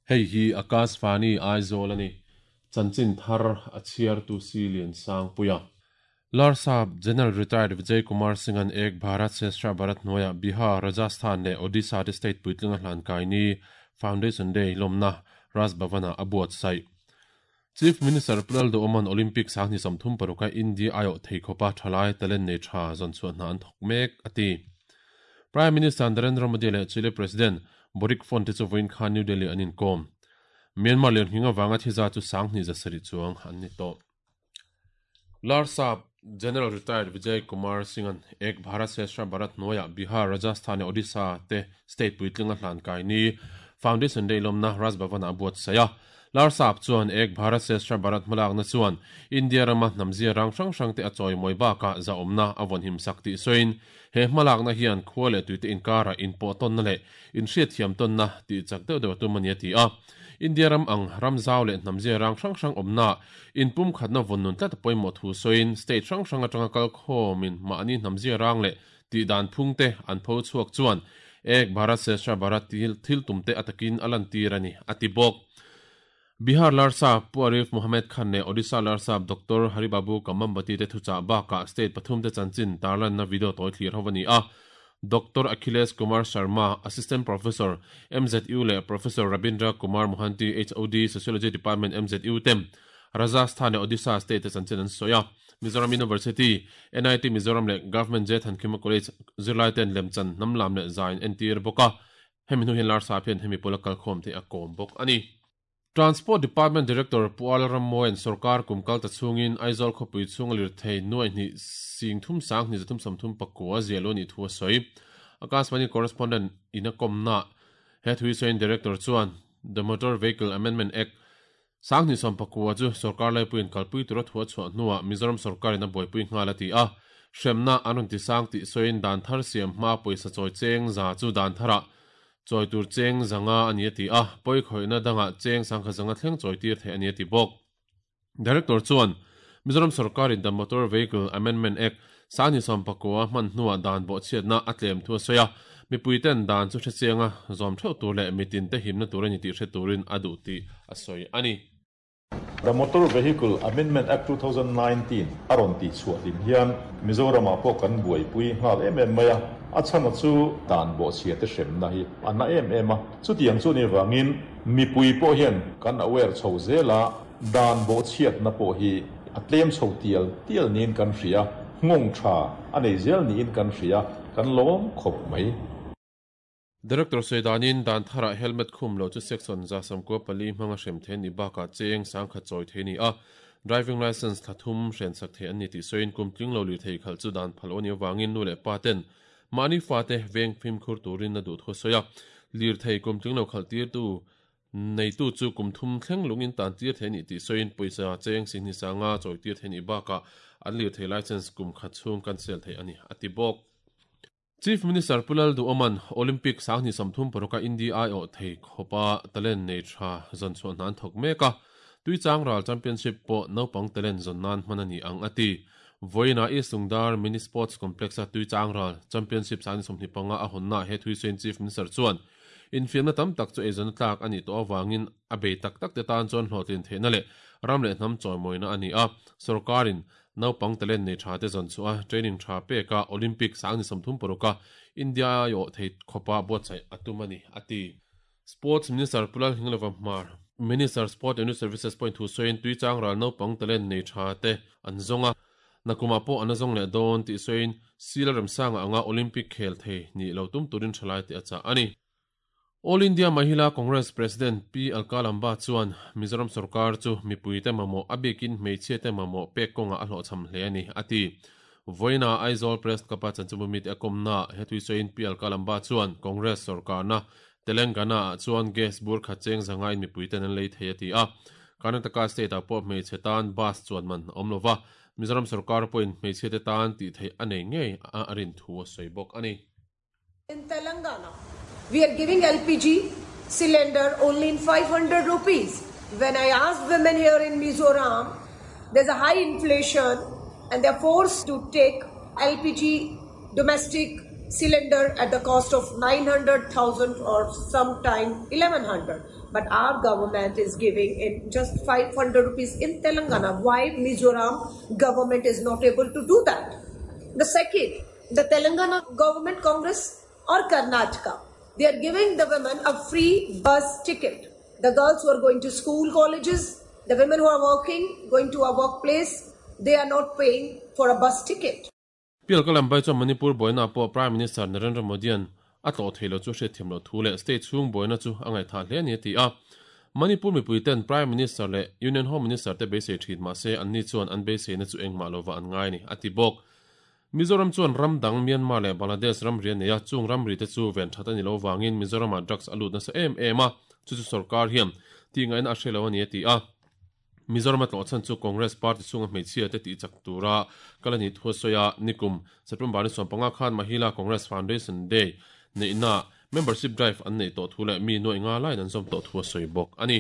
Hei hi Akashvani Aizawl a ni. Chanchin thar a chhiartu si Liansangpuia. Larsap General Retired Vijay Kumar Singh-a'n Ek Bharat Shreshtha Bharat hnuaiah Bihar, Rajasthan leh Odisha te state puitlinga hlan kai ni Foundation Day lawmna Raj Bhavan-ah a buatsaih. Chief Minister Pu Lalduhawma'n Olympic sanghnih 36 a India aiawh thei khawpa thalai talent nei tha zawn chhuah hna an thawk mek, a ti. Prime Minister Narendra Modi leh Chile President Boric Font te chu vawiin khan New Delhi an inkawm. Myanmar lirnghing avanga thiza chu 2700 chuang an ni tawh. Larsap General Retired Vijay Kumar Singh-a'n Ek Bharat Shreshtha Bharat hnuaiah Bihar, Rajasthan leh Odisha te state puitlinga hlan kai ni Foundation Day lawmna Raj Bhavan-ah a buatsaih a. Larsap chuan Ek Bharat Shreshtha Bharat hmalakna chuan India rama hnamzia rang hrang hrangte a chawimawi bakah zahawmna a vawnhim sak tih sawiin he hmalakna hian khua leh tuite inkarah inpawhtawnna leh inhriatthiam tawnna tih chak deuh deuh a tum a ni a ti a. India ram ang ram zau leh hnamzia rang hrang hrang awmna inpumkhatna vawn nun tlat a pawimawh thu sawiin state hrang hrang atanga kal khawmin mahni hnamzia rang leh tih dan phungte an pho chhuak chuan Ek Bharat Shreshtha Bharat thil tumte a takin a lantir a ni, a ti bawk. Bihar Larsap Pu Arif Mohammed Khan leh Odisha Larsap Doctor Haribabu Kambhampati te thuchah bakah state pathum te chanchin tarlanna video tawi thlir ho a ni a. Doctor Akhilesh Kumar Sharma, Assistant Professor, MZU leh Professor Rabindra Kumar Mohanty, HOD, Sociology Department, MZU te Rajasthan leh Odisha state te chanchin an sawi a. Mizoram University, NIT Mizoram leh Government J Thankima College zirlai ten lemchan hnam lam leh zai an entir bawk a. Hemi hnu hian Larsap hian hemi pawla kalkhawm te a kawm bawk a ni. Transport Department Director Pu Ala Rammawia'n sorkar kum kal ta chhungin Aizawl khawpui chhunga lirthei nuai hnih sing thum sang hnih zathum sawmthum pakua ziah lo nih thu a sawi. Akashvani Correspondent in a kawmna he thu hi sawiin Director chuan The Motor Vehicle Amendment Act 2019 chu sorkar laipuiin kalpui tura thu a chhuah hnuah Mizoram sorkarin a buaipui nghal a ti a. Hremna an rawn ti sang tih sawiin dan thar siam hma pawisa chawi cheng za chu dan tharah Chawi tur cheng zanga a ni a ti a, pawi khawihna dangah cheng sangkhat zanga thleng chawi tir theih a ni a ti bawk. Director chuan, Mizoram sorkarin The Motor Vehicle Amendment Act, 2019 hman hnuah dan bawhchhiatna a tlem thu a sawi a, mipuiten dan chu hrechianga zawm theuh tur leh mitinte himna tur a ni tih hre turin a duh tih a sawi a ni. The Motor Vehicle Amendment Act 2019 a rawn tih chhuah hlim hian Mizoramah pawh kan buaipui nghal em em mai a, a chhana chu dan bawhchhia te hremna hi a na em em a. Chutiang chu ni vangin mipui pawh hian kan aware chho zel a, dan bawhchhiatna pawh hi a tlem chho tial tial niin kan hria, nghawng tha a nei zel niin kan hria, kan lawm khawp mai. Director sawi danin dan tharah helmet khum loh chu section 194 hmanga hrem thei an nih bakah cheng 10,000 chawi thei a ni a, driving licence thla thum hrensak thei an ni tih sawiin kum tling lo lirthei khalh chu dan phal aw nih avangin nu leh pa ten mahni fate veng fimkhur turin a duh thu a sawi a, lirthei kum tling lo khalh tirtu neitu chu kum thum thleng lungin tan tir thei a nih tih sawiin pawisa cheng 20,000 chawi tir thei a nih bakah an lirthei licence kum khat chhung cancel theih a ni, a ti bawk. Chief Minister Pu Lalduhawma'n Olympic 2036 a India aiawh thei khawpa talent nei tha zawn chhuah hna an thawk mek a, Tuichang Ral Championship pawh naupang talent zawn nan hman a ni ang a ti. Vawiinah East Lungdar Mini Sports Complex-a Tuichang Ral Championship 2025 a hawnnaah he thuisawiin Chief Minister chuan infiamna tam tak chu eizawnna tlak a nih tawh avangin a bei tak tak te tan chuan hlawhtlin theihna leh ram leh hnam chawimawina a ni a, sawrkarin Naupang talent nei tha te zawn chhuah a, training tha pek a, Olympic 2036 a India aiawh thei khawpa buatsaih a tum a ni, a ti. Sports Minister Pu Lalhinglova Hmar, Minister Sport and Youth Services pawhin thu sawiin Tuichang ral naupang talent nei tha te an zawng a, nakumah pawh an la zawng leh dawn tih sawiin Sila Remsanga anga Olympic khel thei nih lo tum turin thalai te a chah a ni. All India Mahila Congress President Pi Alka Lamba chuan Mizoram sorkar chu mipuite mamawh a bikin hmeichhiate mamawh pek kawngah a hlawhchham hle a ni, a ti. Vawiina Aizawl Press Club-a chanchinbu mite a kawmnaah he thuisawiin Pi Alka Lamba chuan Congress sorkarna Telangana-ah chuan gas bur khat cheng zangain mipuiten an lei thei a ti a. Karnataka state-ah pawh hmeichhe tan bus chuan man a awm lova, Mizoram sorkar pawhin hmeichhiate tan tih theih a nei ngei a rin thu a sawi bawk a ni. In Telangana, we are giving LPG cylinder only in 500 rupees. When I ask women here in Mizoram, there's a high inflation and they're forced to take LPG domestic cylinder at the cost of 900,000 or sometime 1100. But our government is giving in just 500 rupees in Telangana. Why Mizoram government is not able to do that? The second, the Telangana government, Congress or Karnataka, they are giving the women a free bus ticket. The girls who are going to school, colleges, the women who are working, going to a workplace, they are not paying for a bus ticket. Pi Lal chuan Manipur buaina pawh Prime Minister Narendra Modi-a'n a tlawh thei lo chu hriatthiam loh thu leh state chhung buaina chu a ngaihthah hle a ni a ti a. Manipur mipuiten Prime Minister leh Union Home Minister te beisei thin mah se anni chuan an beiseina chu engmah lova an ngai a ni a ti bawk. Mizoram chuan ram dang Myanmar leh Bangladesh ramri a nei a, chung ramri te chu ven that a ni lo vangin Mizoramah drugs a lut nasa em em a, chu chu sorkar hian tih ngaihna a hre lo a ni a ti a. Mizoram a tlawh chhan chu Congress party chhunga hmeichhia te tih chak tura kal a nih thu a sawi a, nikum September ni 15 khan Mahila Congress Foundation Day neihna membership drive an neih tawh thu leh mi nuaih nga laiin an zawm tawh thu a sawi bawk a ni.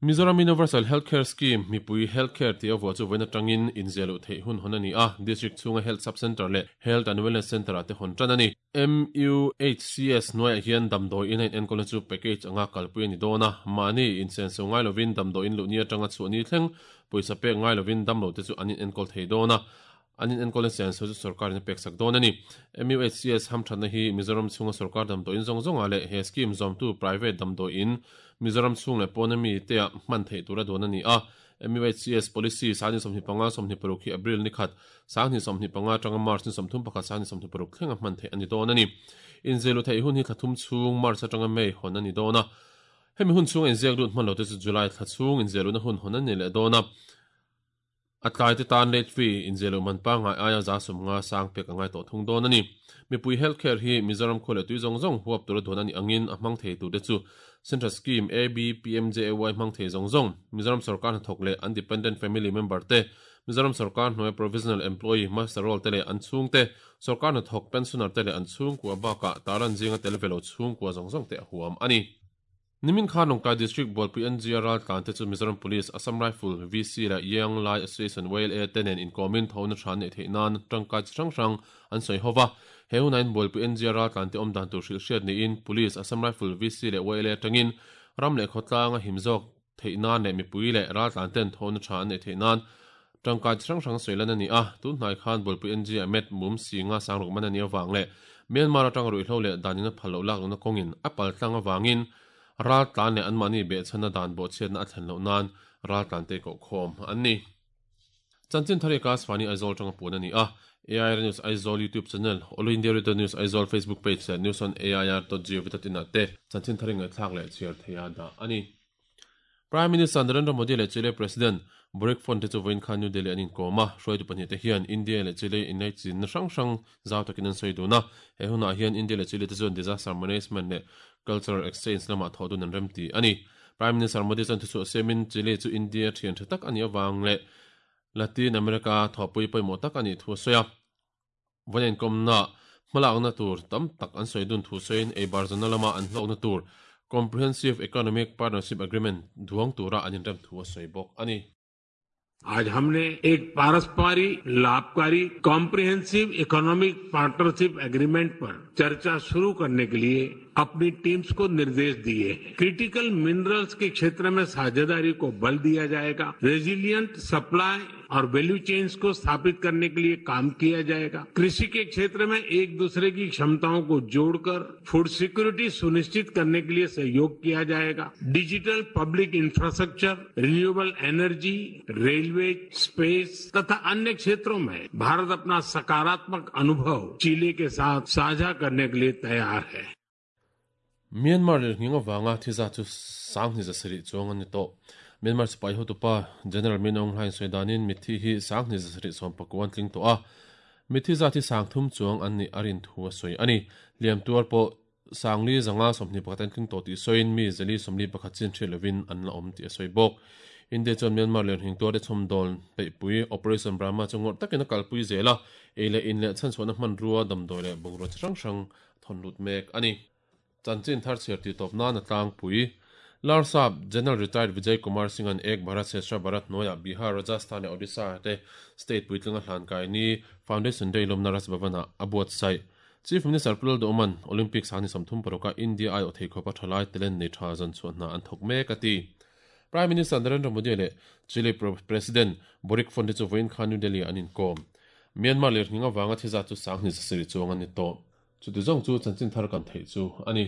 Mizoram Universal Health Care Scheme, mipui health care tih a vuah chu vawiin atangin inziah loh theih hun hawn a ni a, District chhunga Health Sub Centre leh Health and Wellness Centre ah te hawn tan a ni. MUHCS hnuaiah hian damdawi in a inenkawlna chu package anga kalpui a ni dawn a, mahni insenso ngai lovin damdawi in luhni atanga chhuahni thleng pawisa pek ngai lovin damlo te chu an inenkawl thei dawn a, an inenkawlna senso chu sorkarin a peksak dawn a ni. MUHCS hamthatna hi Mizoram chhunga sorkar damdawi in zawng zawngah leh he scheme zawmtu private damdawi in Mizoram chhung leh pawna mite ah hman theih tura dawn a ni a. MUHCS Policy 2025 26 hi April ni khat, 2025 atanga March ni 31 2026 thlenga hman theih a ni dawn a ni. Inziah luh theih hun hi thla thum chhung, March atanga May hawn a ni dawn a. Hemi hun chhunga inziak lut hman lote chu July thla chhung inziah luhna hun hawn a ni leh dawn a. A tlai te tan late fee inziah luh man pangngai aia 150 sang pek a ngai tawh thung dawn a ni. Mipui health care hi Mizoram khua leh tui zawng zawng huap tura duan a nih angin a hmang thei turte chu Central Scheme ABPMJAY hmang thei zawng zawng, Mizoram sorkar hnathawk leh an dependent family member te, Mizoram sorkar hnuaia provisional employee muster roll te leh an chhungte, sorkar hnathawk pensioner te leh an chhungkua bakah taran zinga tel ve lo chhungkua zawng zawng te a huam a ni. Nimin khan Lawngtlai District Bualpui NGR raltlan te chu Mizoram Police, Assam Rifle, VC leh Young Lai Association, YLA, te nen inkawmin thona tha an neih theih nan tangkai chi hrang hrang an sawi ho va. He hunah in Bualpui NGR raltlan te awm dan tur hrilh hriat niin Police, Assam Rifle, VC leh YLA atangin ram leh khawtlang a him zawk theih nan leh mipui leh raltlan ten thona tha an neih theih nan tangkai chi hrang hrang sawi lan a ni a. Tun hnai khan Bualpui NGR Met Mum Singa Sangruk man a nih avang leh Myanmar atanga ruihhlo leh danin a phal loh lak lohna kawngin a paltlang avangin raltlan leh anmahni behchhanna dan bawhchhiatna a thlen loh nan raltlan te kohkhawm an ni. Chanchin thar hi Akashvani Aizawl atanga puan a ni a, AIR News Aizawl YouTube channel, All India Radio News Aizawl Facebook page leh news on air dot gov dot in ah te chanchin thar hi ngaihthlak leh chhiar theia dah a ni. Prime Minister Narendra Modi leh Chile President Boric Font te chu vawiin khan New Delhi an inkawm a, hruaitu pahnih te hian India leh Chile inlaichinna hrang hrang zau takin an sawi dun a. He hunah hian India leh Chile te chuan disaster management leh cultural exchange lamah thawh dun an remti a ni. Prime Minister Modi chuan thuchhuah siamin Chile chu India thian tha tak a nih avang leh Latin America thawhpui pawimawh tak a nih thu a sawi a. Vawiin inkawmna hmalakna tur tam tak an sawi dun thu sawiin eibar zawhna lama an hlawkna tur Comprehensive Economic Partnership Agreement duang tura an inrem thu a sawi bawk a ni. आज हमने एक पारस्परिक लाभकारी comprehensive economic partnership agreement पर चर्चा शुरू करने के लिए अपनी टीम्स को निर्देश दिए हैं। क्रिटिकल मिनरल्स के क्षेत्र में साझेदारी को बल दिया जाएगा, रेजिलिएंट सप्लाई और वैल्यू चेन्स को स्थापित करने के लिए काम किया जाएगा। कृषि के क्षेत्र में एक दूसरे की क्षमताओं को जोड़कर फूड सिक्योरिटी सुनिश्चित करने के लिए सहयोग किया जाएगा। Digital public infrastructure, renewable energy, railway, space तथा अन्य क्षेत्रों में भारत अपना सकारात्मक अनुभव चिली के साथ साझा करने के लिए तैयार है। Myanmar lirnghing avanga thi zat chu 7,700 chuang a ni tawh. Myanmar sipai hotupa General Min Aung Hlaing sawi danin mitthi hi 7,719 an tling tawh a, mitthi zat hi 3,000 chuang an nih a rin thu a sawi a ni. Hliam tuar pawh 4,521 an tling tawh tih sawiin mi 441 chin hriat lovin an la awm tih a sawi bawk. India chuan Myanmar lirnghing tuarte chhawmdawl peihpui Operation Brahma chu ngawrh takin a kalpui zel a, ei leh in leh chhanchhuahna hmanrua damdawi leh bungrua chi hrang hrang thawn lut mek a ni. Chanchin thar chhiar tih tawp nan a tlangpui. Larsap General Retired Vijay Kumar Singh-a'n Ek Bharat Shreshtha Bharat hnuaiah Bihar, Rajasthan leh Odisha te state puitlinga hlan kai ni Foundation Day lawmna Raj Bhavan-ah a buatsaih. Chief Minister Pu Lalduhawma'n Olympics a ni 36 a India aiawh thei khawpa thalai talent nei tha zawn chhuah hna an thawk mek a ti. Prime Minister Narendra Modi leh Chile President Boric Font te chu vawiin khan New Delhi ah an inkawm. Myanmar lirnghing avanga thi zat chu 20,000 chuang an ni tawh. Chuti zawng chu chanchin thar kan theih chu a ni.